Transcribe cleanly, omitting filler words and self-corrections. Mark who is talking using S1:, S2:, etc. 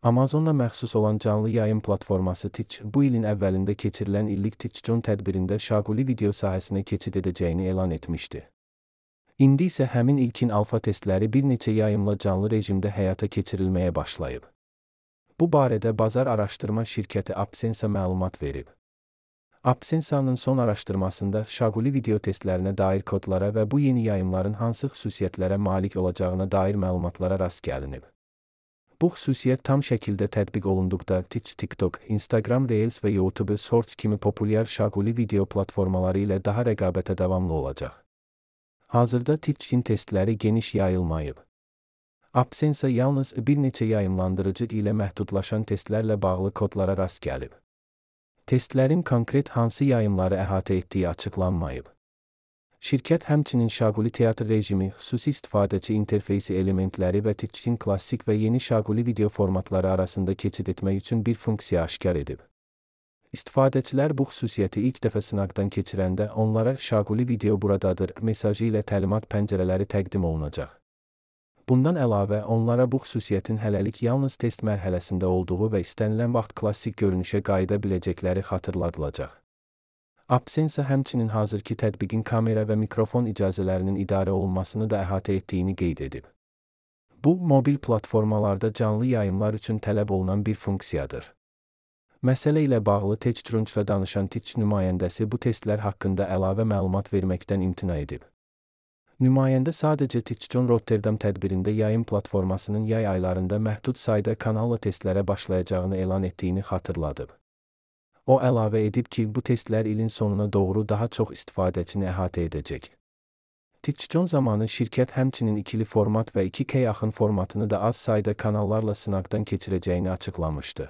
S1: Amazonla məxsus olan canlı yayım platforması Twitch, bu ilin əvvəlində keçirilən illik TwitchCon tədbirində şaquli video sahəsinə keçid edəcəyini elan etmişdi. İndi isə həmin ilkin alfa testləri bir neçə yayımla canlı rejimdə həyata keçirilməyə başlayıb. Bu barədə bazar araşdırma şirkəti AppSense məlumat verib. AppSense'nin son araşdırmasında şaquli video testlərinə dair kodlara və bu yeni yayımların hansı xüsusiyyətlərə malik olacağına dair məlumatlara rast gəlinib. Bu xüsusiyyət tam şəkildə tətbiq olunduqda Twitch, TikTok, Instagram Reels və YouTube Shorts kimi populyar şaquli video platformaları ilə daha rəqabətə davamlı olacaq. Hazırda Twitch-in testləri geniş yayılmayıb. AppSense yalnız bir neçə yayımlandırıcı ilə məhdudlaşan testlərlə bağlı kodlara rast gəlib. Testlərin konkret hansı yayımları əhatə etdiyi açıqlanmayıb. Şirkət həmçinin şaquli teatr rejimi, xüsusi istifadəçi interfeysi elementləri və Twitch-in klassik və yeni şaquli video formatları arasında keçid etmək üçün bir funksiya aşkar edib. İstifadəçilər bu xüsusiyyəti ilk dəfə sınaqdan keçirəndə onlara "şaquli video buradadır" mesajı ilə təlimat pəncərələri təqdim olunacaq. Bundan əlavə, onlara bu xüsusiyyətin hələlik yalnız test mərhələsində olduğu və istənilən vaxt klassik görünüşə qayıda biləcəkləri xatırladılacaq. AppSense həmçinin hazırki tətbiqin kamera və mikrofon icazələrinin idarə olunmasını da əhatə etdiyini qeyd edib. Bu, mobil platformalarda canlı yayımlar üçün tələb olunan bir funksiyadır. Məsələ ilə bağlı TechCrunch'la danışan Twitch nümayəndəsi bu testlər haqqında əlavə məlumat verməkdən imtina edib. Nümayəndə sadəcə TwitchCon Rotterdam tədbirində yayım platformasının yay aylarında məhdud sayda kanalla testlərə başlayacağını elan etdiyini xatırladıb. O əlavə edib ki, bu testlər ilin sonuna doğru daha çox istifadəçini əhatə edəcək. TwitchCon zamanı şirkət həmçinin ikili format və 2K yaxın formatını da az sayda kanallarla sınaqdan keçirəcəyini açıqlamışdı.